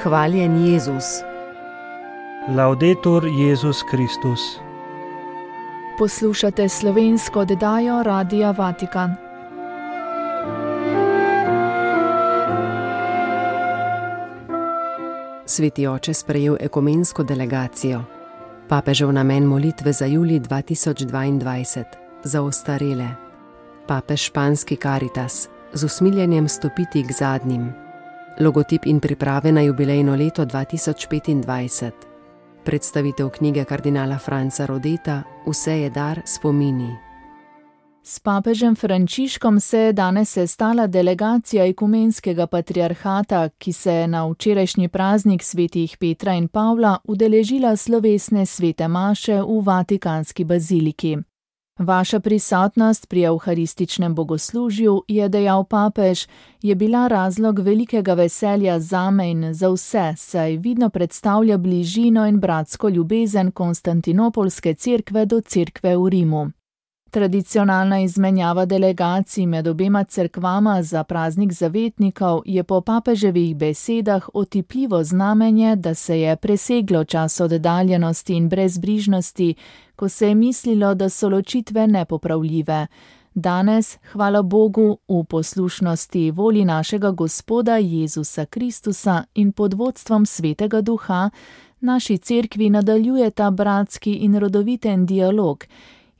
Hvaljen Jezus. Laudetur Jezus Kristus. Poslušate slovensko oddajo Radia Vatikan. Sveti oče sprejel ekumensko delegacijo. Papežev namen molitve za julij 2022. Za ostarele. Papež španski Caritas. Z usmiljenjem stopiti k zadnjim. Logotip in priprave na jubilejno leto 2025. Predstavitev knjige kardinala Franca Rodeta Vse je dar, spomini. S papežem Frančiškom se je danes sestala delegacija ekumenskega patriarhata, ki se je na včerajšnji praznik svetih Petra in Pavla udeležila slovesne svete maše v Vatikanski baziliki. Vaša prisotnost pri evharističnem bogoslužju, je dejal papež, je bila razlog velikega veselja zame in za vse, saj vidno predstavlja bližino in bratsko ljubezen Konstantinopolske cerkve do cerkve v Rimu. Tradicionalna izmenjava delegacij med obema cerkvama za praznik zavetnikov je po papeževih besedah otipljivo znamenje, da se je preseglo čas oddaljenosti in brezbrižnosti, ko se je mislilo, da so ločitve nepopravljive. Danes, hvala Bogu, v poslušnosti volji našega Gospoda Jezusa Kristusa in pod vodstvom Svetega Duha, naši cerkvi nadaljujeta bratski in rodoviten dialog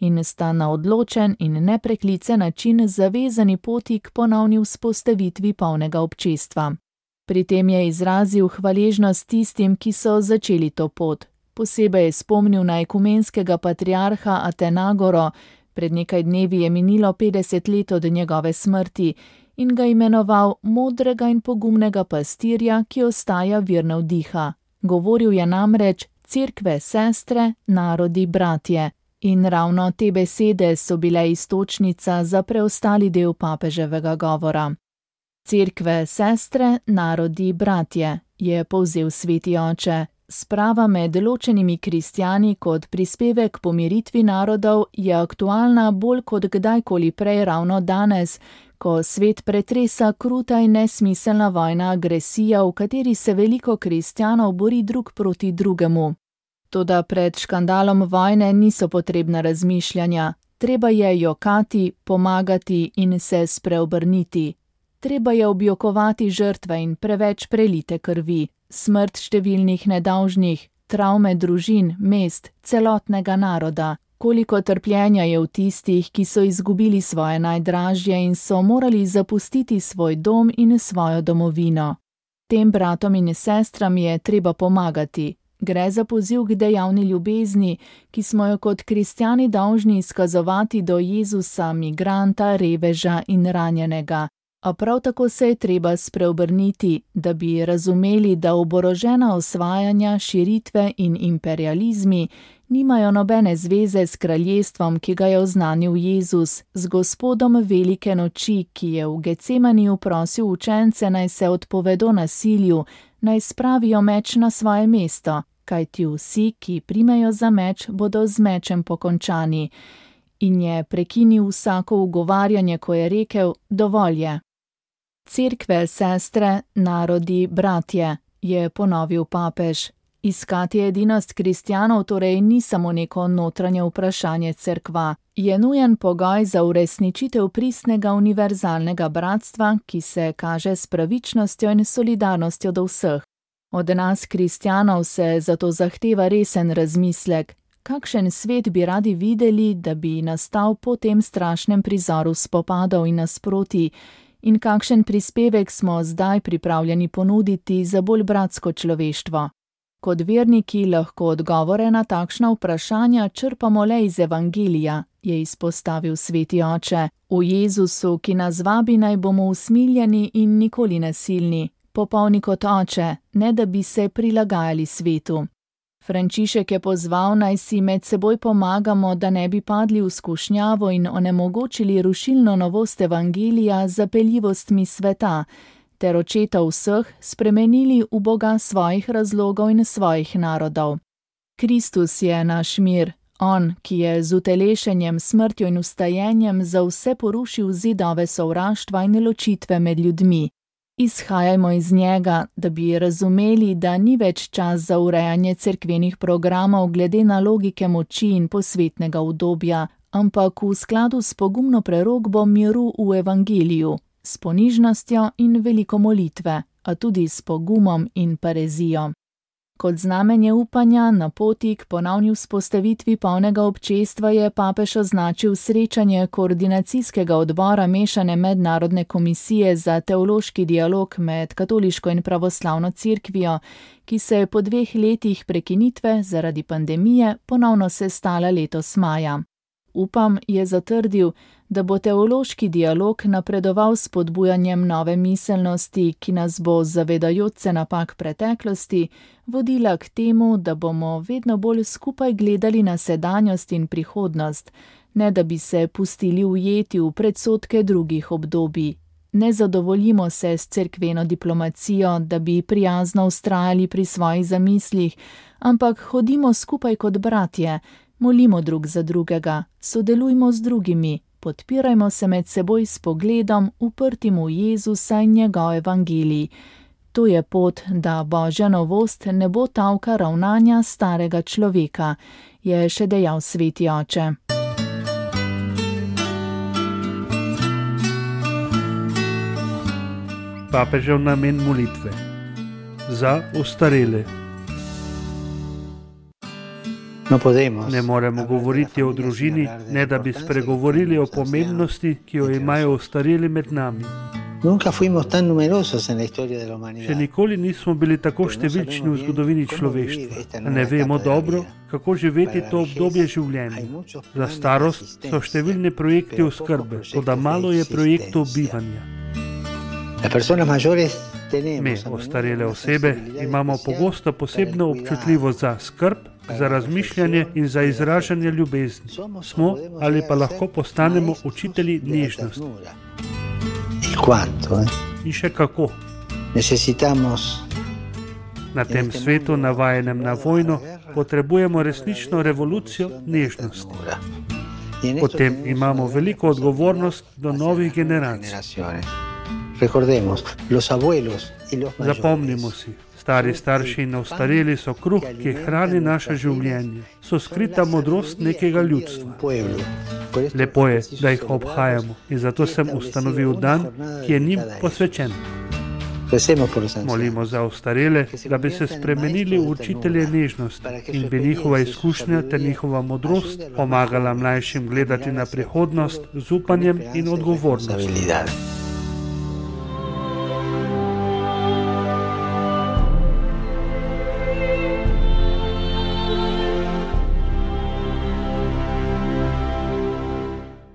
in sta na odločen in nepreklicen način zavezani poti k ponovni vzpostavitvi polnega občestva. Pri tem je izrazil hvaležnost tistim, ki so začeli to pot. Posebej je spomnil na ekumenskega patriarha Atenagoro, pred nekaj dnevi je minilo 50 let od njegove smrti, in ga imenoval modrega in pogumnega pastirja, ki ostaja virna vdiha. Govoril je namreč cerkve, sestre, narodi, bratje. In ravno te besede so bile iztočnica za preostali del papeževega govora. Cerkve, sestre, narodi, bratje, je povzel sveti oče. Sprava med ločenimi kristjani kot prispevek pomiritvi narodov je aktualna bolj kot kdajkoli prej ravno danes, ko svet pretresa kruta in nesmiselna vojna agresija, v kateri se veliko kristjanov bori drug proti drugemu. Toda pred škandalom vojne niso potrebna razmišljanja. Treba je jokati, pomagati in se spreobrniti. Treba je objokovati žrtve in preveč prelite krvi, smrt številnih nedolžnih, travme družin, mest, celotnega naroda. Koliko trpljenja je v tistih, ki so izgubili svoje najdražje in so morali zapustiti svoj dom in svojo domovino. Tem bratom in sestram je treba pomagati. Gre za poziv k dejavni ljubezni, ki smo jo kot kristjani dolžni izkazovati do Jezusa, migranta, reveža in ranjenega. A prav tako se je treba spreobrniti, da bi razumeli, da oborožena osvajanja, širitve in imperializmi nimajo nobene zveze s kraljestvom, ki ga je oznanil Jezus, z Gospodom velike noči, ki je v Getsemaniju prosil učence, naj se odpovedo nasilju, naj spravijo meč na svoje mesto, kajti vsi, ki primejo za meč, bodo z mečem pokončani. In je prekinil vsako ugovarjanje, ko je rekel, dovolj je. Cerkve, sestre, narodi, bratje, je ponovil papež. Iskati edinost kristjanov torej ni samo neko notranje vprašanje cerkva. Je nujen pogoj za uresničitev pristnega univerzalnega bratstva, ki se kaže s pravičnostjo in solidarnostjo do vseh. Od nas kristjanov se zato zahteva resen razmislek, kakšen svet bi radi videli, da bi nastal po tem strašnem prizoru spopadov in nasprotij, in kakšen prispevek smo zdaj pripravljeni ponuditi za bolj bratsko človeštvo. Kot verniki lahko odgovore na takšna vprašanja črpamo le iz Evangelija, je izpostavil sveti oče. V Jezusu, ki nas vabi, naj bomo usmiljeni in nikoli nasilni, popolni kot oče, ne da bi se prilagajali svetu. Frančišek je pozval, naj si med seboj pomagamo, da ne bi padli v skušnjavo in onemogočili rušilno novost Evangelija z zapeljivostmi sveta, ter očeta vseh spremenili v Boga svojih razlogov in svojih narodov. Kristus je naš mir, on, ki je z utelešenjem, smrtjo in vstajenjem za vse porušil zidove sovraštva in ločitve med ljudmi. Izhajajmo iz njega, da bi razumeli, da ni več čas za urejanje cerkvenih programov glede na logike moči in posvetnega udobja, ampak v skladu s pogumno prerokbo miru v evangeliju, s ponižnostjo in veliko molitve, a tudi s pogumom in parezijo. Kot znamenje upanja na poti k ponovni vzpostavitvi polnega občestva je papež označil srečanje koordinacijskega odbora mešane mednarodne komisije za teološki dialog med katoliško in pravoslavno cerkvijo, ki se je po 2 letih prekinitve zaradi pandemije ponovno sestala letos maja. Upam, je zatrdil, da bo teološki dialog napredoval s spodbujanjem nove miselnosti, ki nas bo, zavedajoč se napak preteklosti, vodila k temu, da bomo vedno bolj skupaj gledali na sedanjost in prihodnost, ne da bi se pustili ujeti v predsodke drugih obdobij. Ne zadovoljimo se s cerkveno diplomacijo, da bi prijazno vztrajali pri svojih zamislih, ampak hodimo skupaj kot bratje, molimo drug za drugega, sodelujmo z drugimi, podpirajmo se med seboj s pogledom, uprtim v Jezusa in njegov evangelij. To je pot, da Božja novost ne bo talka ravnanja starega človeka, je še dejal sveti oče. Papežev namen molitve za ostarele. Ne moremo govoriti o družini, ne da bi spregovorili o pomembnosti, ki jo imajo ostareli med nami. Še nikoli nismo bili tako številčni v zgodovini človeštva. Ne vemo dobro, kako živeti to obdobje življenja. Za starost so številni projekti oskrbe, toda malo je projektov bivanja. Mi, ostarele osebe, imamo pogosto posebno občutljivost za skrb, za razmišljanje in za izražanje ljubezni. Smo ali pa lahko postanemo učitelji nežnosti. In še kako. Na tem svetu, navajenem na vojno, potrebujemo resnično revolucijo nežnosti. Potem imamo veliko odgovornost do novih generacij. Zapomnimo si, stari starši in ostareli so kruh, ki hrani naše življenje, so skrita modrost nekega ljudstva. Lepo je, da jih obhajamo in zato sem ustanovil dan, ki je njim posvečen. Molimo za ostarele, da bi se spremenili v učitelje nežnosti in bi njihova izkušnja ter njihova modrost pomagala mlajšim gledati na prihodnost z upanjem in odgovornostjo.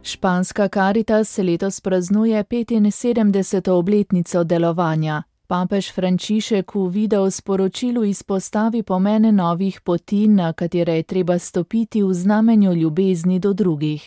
Španska Caritas letos praznuje 75. obletnico delovanja. Papež Frančišek v videosporočilu izpostavi pomen novih poti, na katere je treba stopiti v znamenju ljubezni do drugih.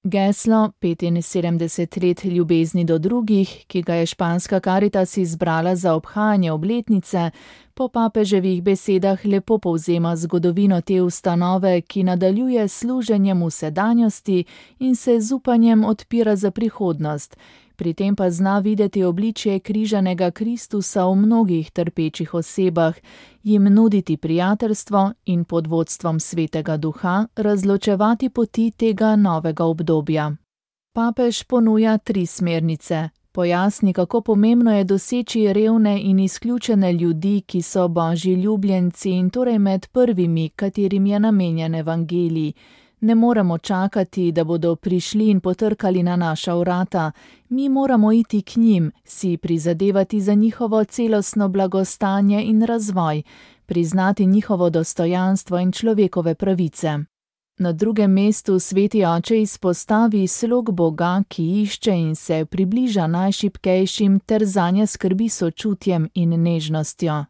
Geslo 75 let ljubezni do drugih, ki ga je Španska Caritas izbrala za obhajanje obletnice, po papeževih besedah lepo povzema zgodovino te ustanove, ki nadaljuje služenjem v sedanjosti in se z upanjem odpira za prihodnost. Pri tem pa zna videti obličje križanega Kristusa v mnogih trpečih osebah, jim nuditi prijateljstvo in pod vodstvom Svetega Duha razločevati poti tega novega obdobja. Papež ponuja 3 smernice. Pojasni, kako pomembno je doseči revne in izključene ljudi, ki so Božji ljubljenci in torej med prvimi, katerim je namenjen evangelij. Ne moremo čakati, da bodo prišli in potrkali na naša vrata. Mi moramo iti k njim, si prizadevati za njihovo celostno blagostanje in razvoj, priznati njihovo dostojanstvo in človekove pravice. Na drugem mestu sveti oče izpostavi slog Boga, ki išče in se približa najšibkejšim ter zanje skrbi sočutjem in nežnostjo.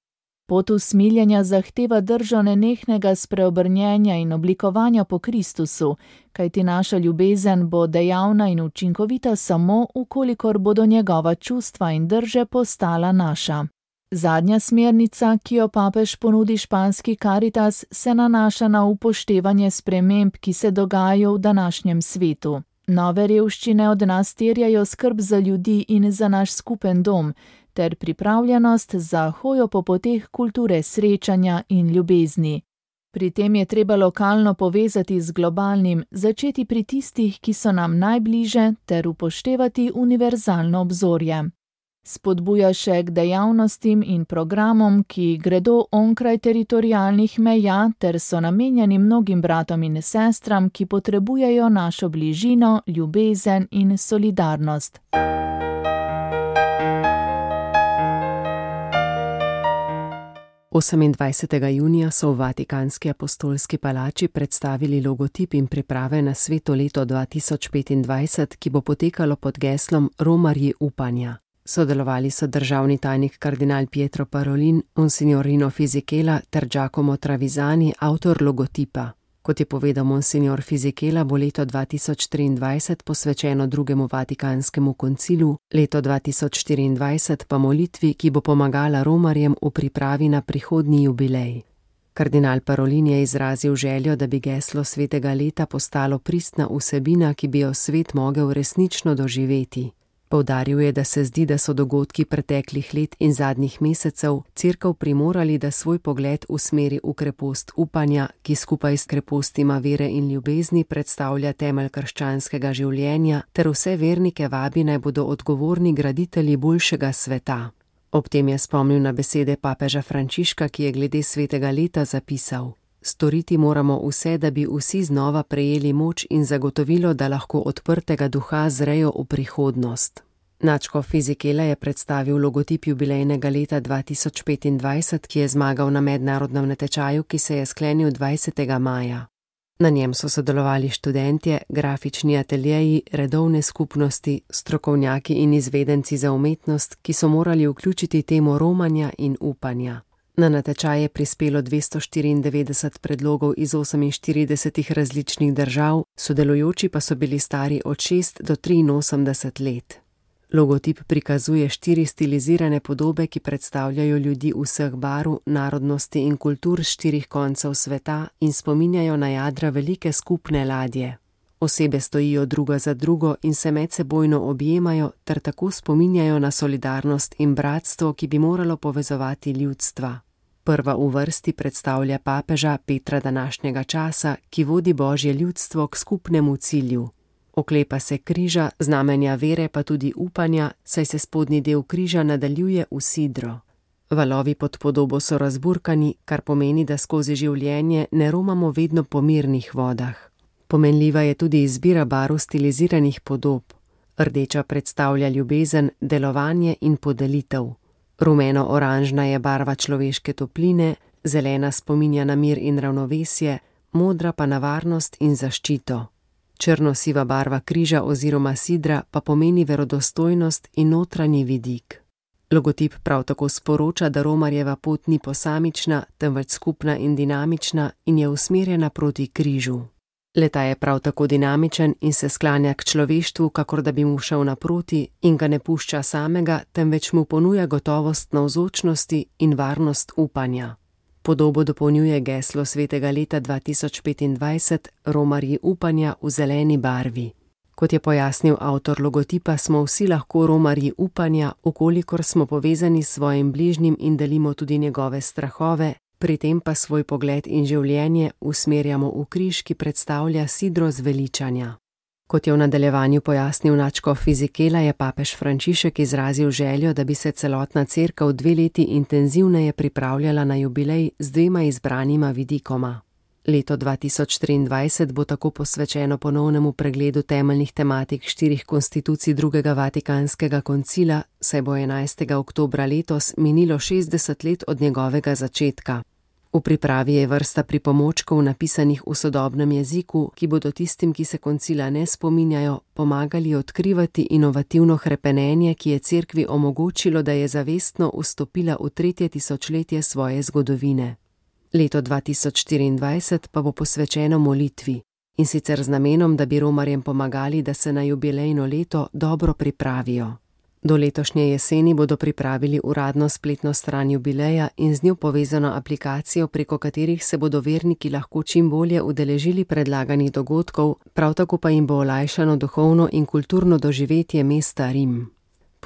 Pot usmiljenja zahteva držo nenehnega spreobrnjenja in oblikovanja po Kristusu, kajti naša ljubezen bo dejavna in učinkovita samo, ukolikor bodo njegova čustva in drže postala naša. Zadnja smernica, ki jo papež ponudi španski Caritas, se nanaša na upoštevanje sprememb, ki se dogajajo v današnjem svetu. Nove revščine od nas terjajo skrb za ljudi in za naš skupen dom. ter pripravljenost za hojo po poteh kulture srečanja in ljubezni. Pri tem je treba lokalno povezati z globalnim, začeti pri tistih, ki so nam najbliže, ter upoštevati univerzalno obzorje. Spodbuja še k dejavnostim in programom, ki gredo onkraj teritorialnih meja ter so namenjeni mnogim bratom in sestram, ki potrebujejo našo bližino, ljubezen in solidarnost. Junija so v Vatikanski apostolski palači predstavili logotip in priprave na Sveto leto 2025, ki bo potekalo pod geslom Romarji upanja. Sodelovali so državni tajnik kardinal Pietro Parolin, monsignor Rino Fisichella ter Giacomo Travisani, avtor logotipa. Kot je povedal monsignor Fisichella, bo leto 2023 posvečeno drugemu Vatikanskemu koncilu, leto 2024 pa molitvi, ki bo pomagala romarjem v pripravi na prihodnji jubilej. Kardinal Parolin je izrazil željo, da bi geslo svetega leta postalo pristna vsebina, ki bi jo svet mogel resnično doživeti. Poudaril je, da se zdi, da so dogodki preteklih let in zadnjih mesecev Cerkev primorali, da svoj pogled usmeri v krepost upanja, ki skupaj s krepostima vere in ljubezni predstavlja temelj krščanskega življenja, ter vse vernike vabi, naj bodo odgovorni graditelji boljšega sveta. Ob tem je spomnil na besede papeža Frančiška, ki je glede svetega leta zapisal: Storiti moramo vse, da bi vsi znova prejeli moč in zagotovilo, da lahko odprtega duha zrejo v prihodnost. Nadškof Fisichella je predstavil logotip jubilejnega leta 2025, ki je zmagal na mednarodnem natečaju, ki se je sklenil 20. maja. Na njem so sodelovali študentje, grafični ateljeji, redovne skupnosti, strokovnjaki in izvedenci za umetnost, ki so morali vključiti temo romanja in upanja. Na natečaj je prispelo 294 predlogov iz 48 različnih držav, sodelujoči pa so bili stari od 6 do 83 let. Logotip prikazuje 4 stilizirane podobe, ki predstavljajo ljudi vseh barv, narodnosti in kultur s 4 koncev sveta in spominjajo na jadra velike skupne ladje. Osebe stojijo druga za drugo in se medsebojno objemajo ter tako spominjajo na solidarnost in bratstvo, ki bi moralo povezovati ljudstva. Prva v vrsti predstavlja papeža Petra današnjega časa, ki vodi Božje ljudstvo k skupnemu cilju. Oklepa se križa, znamenja vere pa tudi upanja, saj se spodnji del križa nadaljuje v sidro. Valovi pod podobo so razburkani, kar pomeni, da skozi življenje ne romamo vedno po mirnih vodah. Pomenljiva je tudi izbira barv stiliziranih podob. Rdeča predstavlja ljubezen, delovanje in podelitev. Rumeno-oranžna je barva človeške topline, zelena spominja na mir in ravnovesje, modra pa na varnost in zaščito. Črno-siva barva križa oziroma sidra pa pomeni verodostojnost in notranji vidik. Logotip prav tako sporoča, da romarjeva pot ni posamična, temveč skupna in dinamična in je usmerjena proti križu. Leta je prav tako dinamičen in se sklanja k človeštvu, kakor da bi mu šel naproti in ga ne pušča samega, temveč mu ponuja gotovost navzočnosti in varnost upanja. Podobo dopolnjuje geslo svetega leta 2025, Romarji upanja v zeleni barvi. Kot je pojasnil avtor logotipa, smo vsi lahko romarji upanja, ukolikor smo povezani s svojim bližnjim in delimo tudi njegove strahove, pri tem pa svoj pogled in življenje usmerjamo v križ, ki predstavlja sidro zveličanja. Kot je v nadaljevanju pojasnil nadškof Fisichella, je papež Frančišek izrazil željo, da bi se celotna cerkev 2 leti intenzivneje pripravljala na jubilej z 2 izbranima vidikoma. Leto 2023 bo tako posvečeno ponovnemu pregledu temeljnih tematik 4 konstitucij drugega Vatikanskega koncila, saj bo 11. oktobra letos minilo 60 let od njegovega začetka. V pripravi je vrsta pripomočkov napisanih v sodobnem jeziku, ki bodo tistim, ki se koncila ne spominjajo, pomagali odkrivati inovativno hrepenenje, ki je cerkvi omogočilo, da je zavestno vstopila v 3. tisočletje svoje zgodovine. Leto 2024 pa bo posvečeno molitvi, in sicer z namenom, da bi romarjem pomagali, da se na jubilejno leto dobro pripravijo. Do letošnje jeseni bodo pripravili uradno spletno stran jubileja in z njo povezano aplikacijo, preko katerih se bodo verniki lahko čim bolje udeležili predlaganih dogodkov, prav tako pa jim bo olajšano duhovno in kulturno doživetje mesta Rim.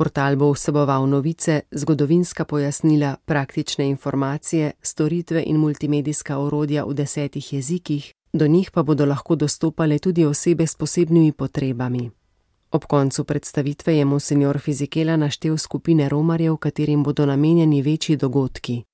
Portal bo vseboval novice, zgodovinska pojasnila, praktične informacije, storitve in multimedijska orodja v 10 jezikih, do njih pa bodo lahko dostopale tudi osebe s posebnimi potrebami. Ob koncu predstavitve je monsinjor Fizikela naštel skupine romarjev, katerim bodo namenjeni večji dogodki.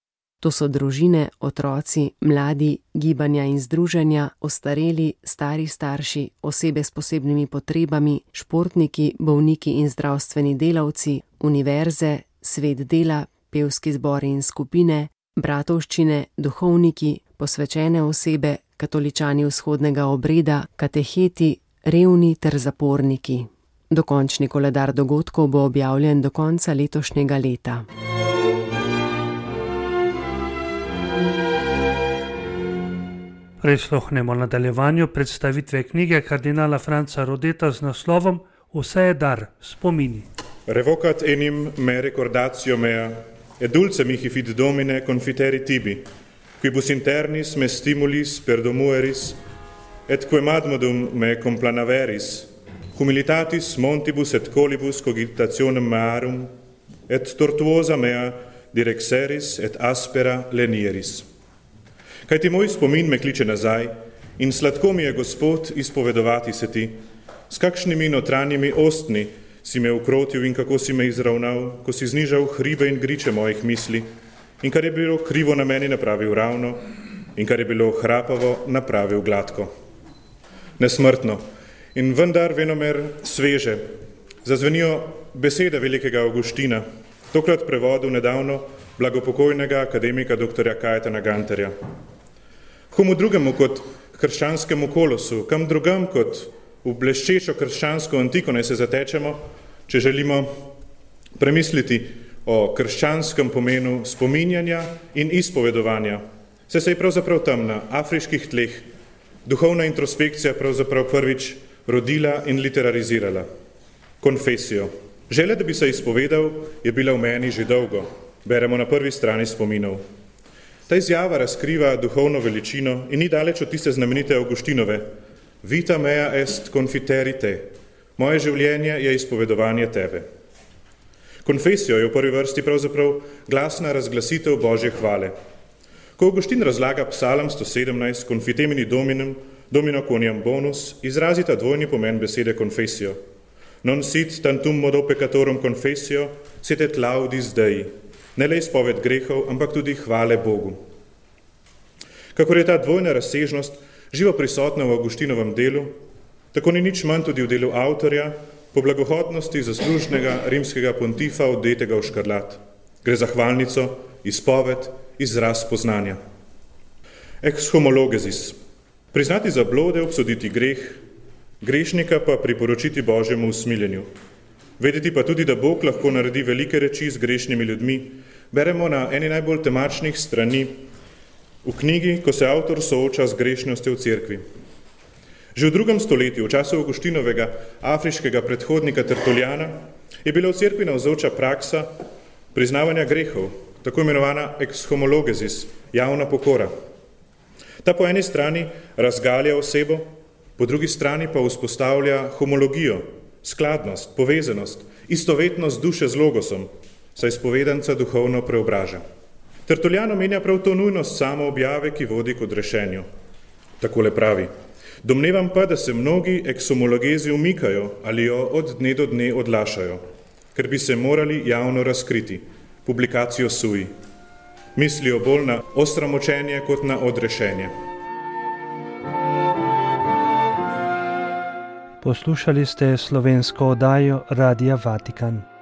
To so družine, otroci, mladi, gibanja in združenja, ostareli, stari starši, osebe s posebnimi potrebami, športniki, bolniki in zdravstveni delavci, univerze, svet dela, pevski zbori in skupine, bratovščine, duhovniki, posvečene osebe, katoličani vzhodnega obreda, kateheti, revni ter zaporniki. Dokončni koledar dogodkov bo objavljen do konca letošnjega leta. Prisluhnemo nadaljevanju predstavitve knjige kardinala Franca Rodeta z naslovom Vse je dar, spomini. Revocat enim me recordatio mea, et dulce mihi fid domine confiteri tibi, quibus internis me stimulis perdomueris, et quem admodum me complanaveris, humilitatis montibus et colibus cogitationem mearum, et tortuosa mea direxeris et aspera lenieris. Kaj ti moj spomin me kliče nazaj in sladko mi je Gospod izpovedovati se ti, s kakšnimi notranjimi ostni si me ukrotil in kako si me izravnal, ko si znižal hribe in griče mojih misli in kar je bilo krivo na meni napravil ravno in kar je bilo hrapavo napravil gladko. Nesmrtno in vendar venomer sveže zazvenijo besede velikega Avguština, tokrat prevodu nedavno blagopokojnega akademika dr. Kajetana Gantarja. Komu drugemu kot krščanskemu kolosu, kam drugam kot v bleščečo krščansko antiko naj se zatečemo, če želimo premisliti o krščanskem pomenu spominjanja in izpovedovanja. Se je pravzaprav tam na afriških tleh duhovna introspekcija pravzaprav prvič rodila in literarizirala. Konfesijo. Želja, da bi se izpovedal, je bila v meni že dolgo. Beremo na prvi strani spominov. Ta izjava razkriva duhovno veličino in ni daleč od tiste znamenite Avguštinove. Vita mea est confiteri te. Moje življenje je izpovedovanje tebe. Konfesijo je v prvi vrsti pravzaprav glasna razglasitev Božje hvale. Ko Avguštin razlaga psalam 117 confitemini dominem, domino quoniam bonus, izrazita dvojni pomen besede confesio. Non sit tantum modo peccatorum confessio, sit et laudis Dei. Ne le izpoved grehov, ampak tudi hvale Bogu. Kakor je ta dvojna razsežnost živo prisotna v Avguštinovem delu, tako ni nič manj tudi v delu avtorja po blagohodnosti zaslužnega rimskega pontifa odetega v škarlat. Gre za hvalnico, izpoved, izraz poznanja. Ex homologesis. Priznati zablode, obsoditi greh, grešnika pa priporočiti Božjemu usmiljenju. Vedeti pa tudi, da Bog lahko naredi velike reči z grešnimi ljudmi, beremo na eni najbolj temačnih strani v knjigi, ko se avtor sooča z grešnostjo v cerkvi. Že v 2. stoletju, v času Avguštinovega afriškega predhodnika Tertuliana, je bila v cerkvi navzoča praksa priznavanja grehov, tako imenovana ex homologesis, javna pokora. Ta po eni strani razgalja osebo, po drugi strani pa vzpostavlja homologijo, skladnost, povezanost, istovetnost duše z logosom, saj spovedanca duhovno preobraža. Tertulian omenja prav to nujnost samoobjave, ki vodi k odrešenju. Takole pravi: domnevam pa, da se mnogi ekshomologezi umikajo ali jo od dne do dne odlašajo, ker bi se morali javno razkriti, publikacijo sui. Mislijo bolj na osramočenje kot na odrešenje. Poslušali ste slovensko oddajo Radia Vatikan.